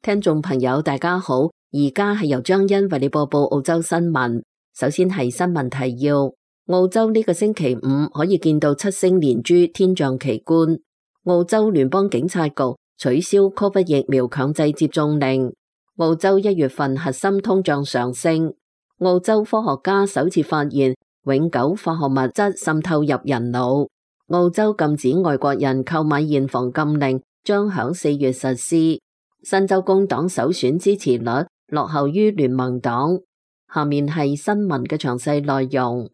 聽眾朋友大家好，而家係由張欣為你播報澳洲新聞。首先係新聞提要：澳洲呢個星期五可以見到七星連珠天象奇觀。澳洲聯邦警察局取消 COVID 疫苗強制接種令。澳洲1月份核心通脹上升。澳洲科學家首次發現永久化學物質滲透入人腦。澳洲禁止外國人購買現房禁令將響4月實施。新州工黨首選支持率落後於聯盟黨。下面係新聞嘅詳細內容。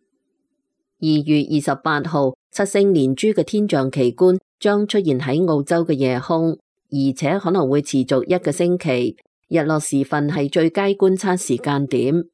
2月28號，七星連珠嘅天象奇觀將出現喺澳洲嘅夜空，而且可能會持續1個星期。日落時分係最佳觀察時間點。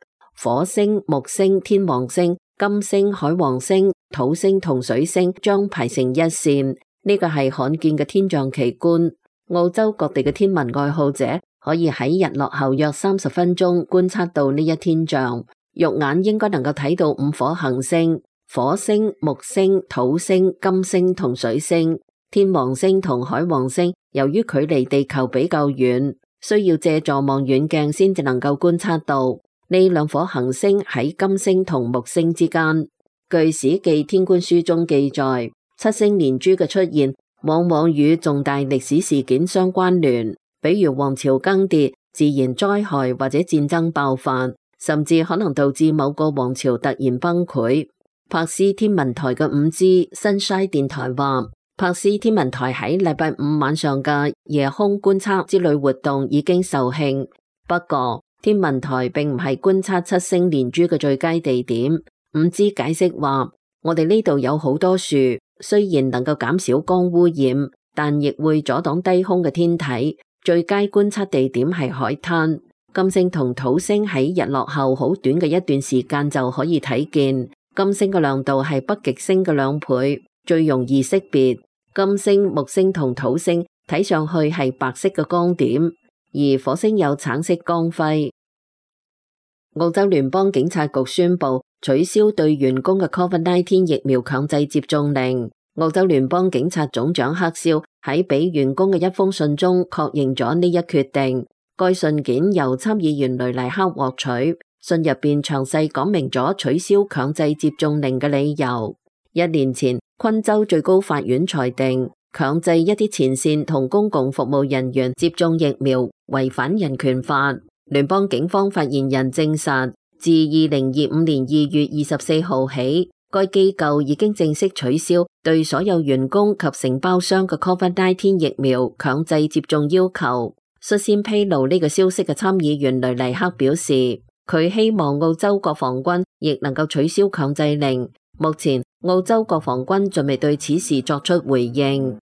火星、木星、天王星、金星、海王星、土星同水星將排成一線，呢個係罕見嘅天象奇觀。澳洲各地嘅天文愛好者可以喺日落後約30分鐘觀察到呢一天象，肉眼應該能夠睇到5顆行星：火星、木星、土星、金星同水星。天王星同海王星由於距離地球比較遠，需要借助望遠鏡先至能夠觀察到。呢2顆行星喺金星同木星之間。據史記天官書中記載，七星連珠嘅出現往往與重大歷史事件相關聯，比如王朝更迭、自然災害或者戰爭爆發，甚至可能導致某個王朝突然崩潰。柏斯天文台嘅5G 新西電台話，柏斯天文台喺禮拜5晚上嘅夜空觀測之類活動已經售罄。不過，天文台並唔係觀察七星連珠嘅最佳地點。5G 解釋話，我哋呢度有好多樹，雖然能夠減少光污染，但亦會阻擋低空嘅天體。最佳觀測地點係海灘。金星同土星喺日落後好短嘅一段時間就可以睇見。金星嘅亮度係北極星嘅2倍，最容易識別。金星、木星同土星睇上去係白色嘅光點，而火星有橙色光輝。澳洲聯邦警察局宣布取消對員工嘅 COVID-19 疫苗強制接種令。澳洲聯邦警察總長克肖喺俾員工嘅一封信中確認咗呢一決定。該信件由參議員雷黎克獲取，信入邊詳細講明咗取消強制接種令嘅理由。1年前，昆州最高法院裁定強制一啲前線同公共服務人員接種疫苗違反人權法。聯邦警方發言人證實，自2025年2月24號起，該機構已經正式取消對所有員工及承包商嘅 COVID-19 疫苗強制接種要求。率先披露呢個消息嘅參議員雷黎克表示，佢希望澳洲國防軍亦能夠取消強制令。目前，澳洲國防軍仲未對此事作出回應。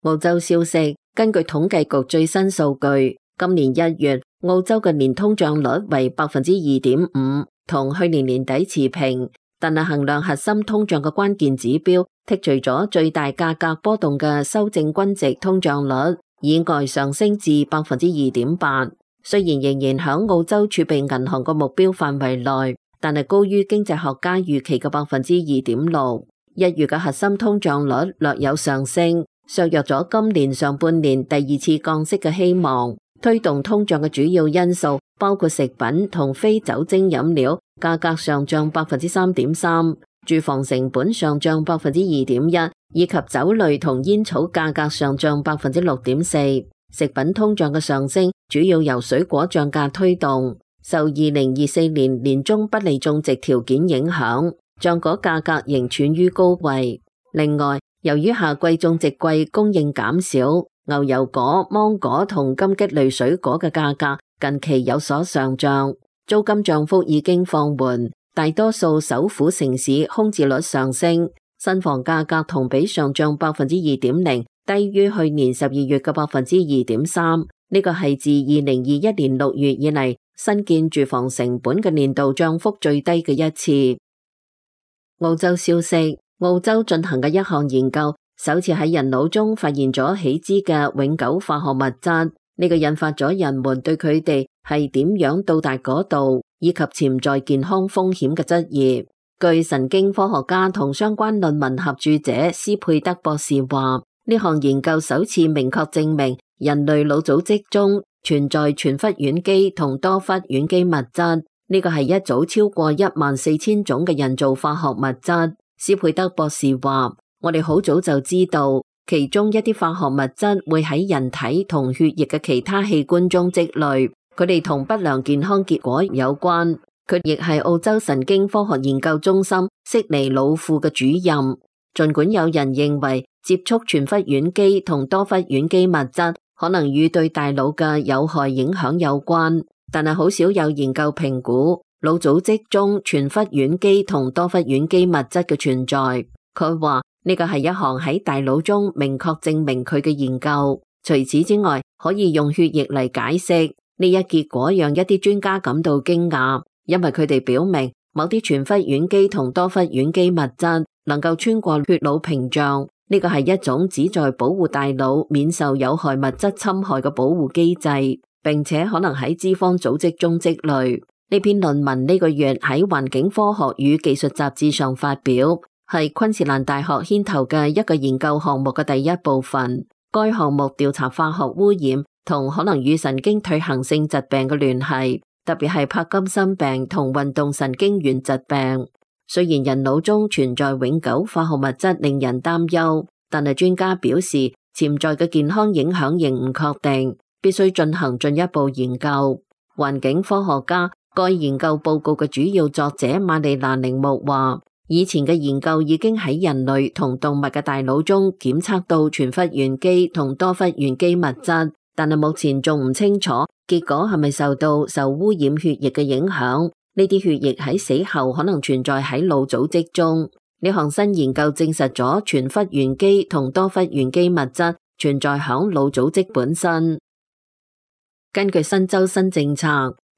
澳洲消息，根據統計局最新數據，今年1月，澳洲嘅年通脹率為 2.5%， 同去年年底持平。但係衡量核心通脹嘅關鍵指標，剔除咗最大價格波動嘅修正均值通脹率，意外上升至 2.8%。雖然仍然響澳洲儲備銀行嘅目標範圍內，但係高於經濟學家預期嘅 2.6%。1月嘅核心通脹率略有上升，削弱咗今年上半年第2次降息嘅希望。推動通脹嘅主要因素包括食品同非酒精飲料價格上漲 3.3%， 住房成本上漲 2.1%， 以及酒類同煙草價格上漲 6.4%。食品通脹嘅上升主要由水果漲價推動，受2024年年中不利種植條件影響，漿果價格仍處於高位。另外，由於夏季種植季供應減少，牛油果、芒果同金桔類水果嘅價格近期有所上漲，租金漲幅已經放緩，大多數首府城市空置率上升，新房價格同比上漲 2.0%， 低於去年12月嘅 2.3%， 呢個係自2021年6月以嚟新建住房成本嘅年度漲幅最低嘅一次。澳洲消息，澳洲進行嘅一項研究首次喺人腦中發現咗已知嘅永久化學物質，呢個引發咗人們對佢哋係點樣到達嗰度以及潛在健康風險嘅質疑。據神經科學家同相關論文合著者斯佩德博士話，呢項研究首次明確證明人類腦組織中存在全忽烷基同多忽烷基物質，呢個係一組超過14000種嘅人造化學物質。斯佩德博士話：我哋好早就知道，其中一啲化學物質會喺人體同血液嘅其他器官中積累，佢哋同不良健康結果有關。佢亦係澳洲神經科學研究中心悉尼老庫嘅主任。儘管有人認為接觸全忽烷基同多忽烷基物質可能與對大腦嘅有害影響有關，但係好少有研究評估腦組織中全忽烷基同多忽烷基物質嘅存在。佢話呢個係一項喺大腦中明確證明佢嘅研究。除此之外，可以用血液嚟解釋。呢一結果讓一啲專家感到驚訝，因為佢哋表明某啲全忽烷基同多忽烷基物質能夠穿過血腦屏障。呢個係一種旨在保護大腦免受有害物質侵害嘅保護機制，並且可能喺脂肪組織中積累。呢篇論文呢個月喺環境科學與技術雜誌上發表，係昆士蘭大學牽頭嘅一個研究項目嘅第一部分。該項目調查化學污染同可能與神經退行性疾病嘅聯繫，特別係帕金森病同運動神經元疾病。雖然人腦中存在永久化學物質令人擔憂，但係專家表示潛在嘅健康影響仍唔確定，必須進行進一步研究。環境科學家該研究報告嘅主要作者瑪麗娜鈴木話：以前嘅研究已經喺人類同動物嘅大腦中檢測到全忽烷基同多忽烷基物質，但係目前仲唔清楚結果係咪受污染血液嘅影響。呢啲血液喺死後可能存在喺腦組織中。呢項新研究證實咗全忽烷基同多忽烷基物質存在響腦組織本身。根據新州新政策，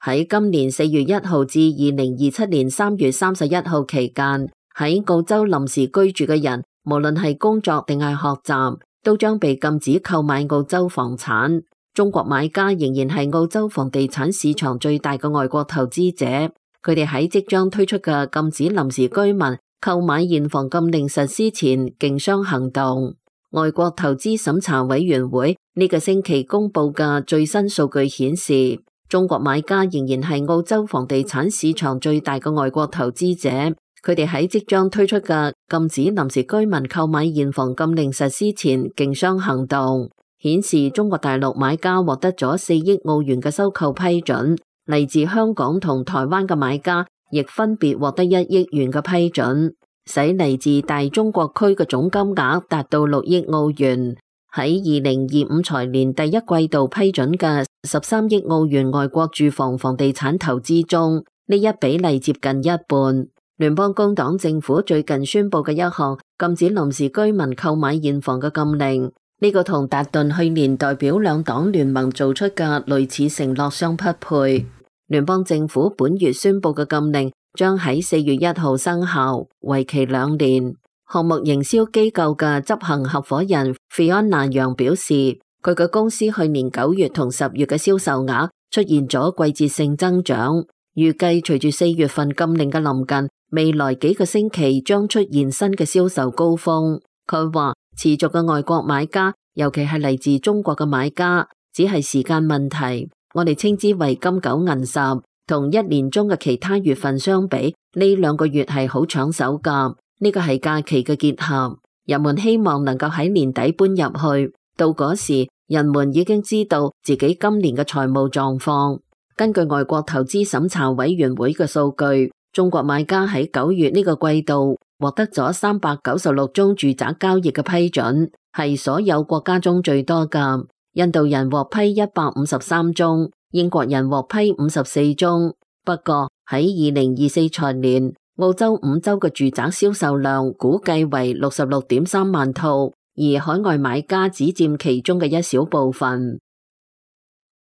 喺今年4月1號至2027年3月31號期間，喺澳洲臨時居住嘅人，無論係工作定係學習，都將被禁止購買澳洲房產。中國買家仍然係澳洲房地產市場最大嘅外國投資者，佢哋喺即將推出嘅禁止臨時居民購買現房禁令實施前競相行動。外國投資審查委員會呢個星期公布嘅最新數據顯示，中國買家仍然係澳洲房地產市場最大嘅外國投資者，佢哋喺即將推出嘅禁止臨時居民購買現房禁令實施前競相行動，顯示中國大陸買家獲得咗4億澳元嘅收購批准，嚟自香港同台灣嘅買家亦分別獲得1億元嘅批准，使嚟自大中國區嘅總金額達到6億澳元。喺2025財年第一季度批准嘅13億澳元外國住房房地產投資中，呢一比例接近一半。聯邦工黨政府最近宣布嘅一項禁止臨時居民購買現房嘅禁令，呢個同達頓去年代表兩黨聯盟做出嘅類似承諾相匹配。聯邦政府本月宣布嘅禁令將喺4月1號生效，為期2年。項目營銷機構嘅執行合夥人 Fiona 楊表示，佢嘅公司去年9月同10月嘅銷售額出現咗季節性增長，預計隨住4月份禁令嘅臨近，未來幾個星期將出現新嘅銷售高峰。佢話持續嘅外國買家，尤其係嚟自中國嘅買家，只係時間問題。我哋稱之為金九銀十，同一年中嘅其他月份相比，呢2個月係好搶手㗎。呢個係假期嘅結合，人們希望能夠喺年底搬入去，到嗰時人們已經知道自己今年嘅財務狀況。根據外國投資審查委員會嘅數據，中國買家喺9月呢個季度獲得咗396宗住宅交易嘅批准，係所有國家中最多㗎。印度人獲批153宗，英國人獲批54宗。不過喺2024財年，澳洲5州嘅住宅銷售量估計為66.3萬套，而海外買家只佔其中嘅一小部分。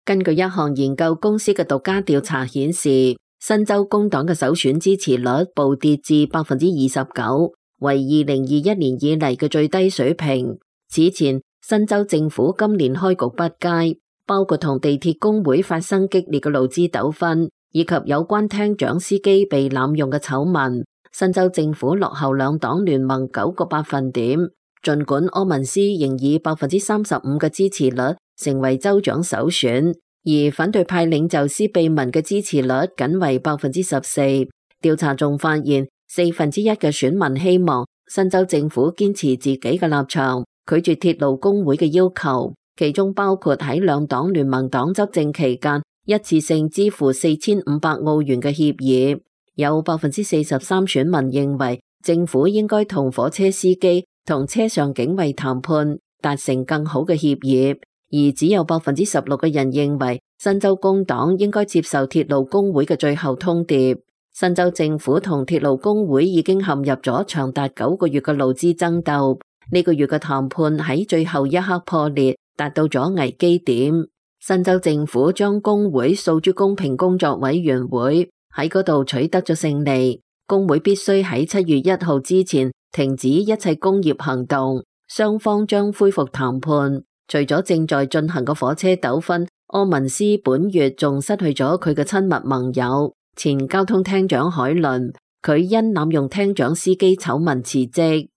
根據一項研究公司嘅獨家調查顯示，新州工黨嘅首選支持率暴跌至 29%， 為2021年以嚟嘅最低水平。此前，新州政府今年開局不佳，包括同地鐵工會發生激烈嘅勞資糾紛，以及有關廳長司機被濫用嘅醜聞。新州政府落後兩黨聯盟9個百分點，儘管柯文斯仍以 35% 嘅支持率成為州長首選，而反對派領袖施秘文嘅支持率僅為14%。調查仲發現1/4嘅選民希望新州政府堅持自己嘅立場，拒絕鐵路工會嘅要求，其中包括喺兩黨聯盟黨執政期間一次性支付4500澳元嘅協議。有43%選民認為政府應該同火車司機同車上警衛談判，達成更好嘅協議，而只有16%嘅人認為新州工黨應該接受鐵路工會嘅最後通牒。新州政府同鐵路工會已經陷入咗長達9個月嘅勞資爭鬥，呢個月嘅談判喺最後一刻破裂，達到咗危機點。新州政府將工會訴諸公平工作委員會，喺嗰度取得咗勝利。工會必須喺7月1號之前停止一切工業行動，雙方將恢復談判。除咗正在進行嘅火車糾紛，柯文斯本月仲失去咗佢嘅親密盟友前交通廳長海倫，佢因濫用廳長司機醜聞辭職。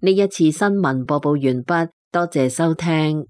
呢一次新聞播報完畢，多謝收聽。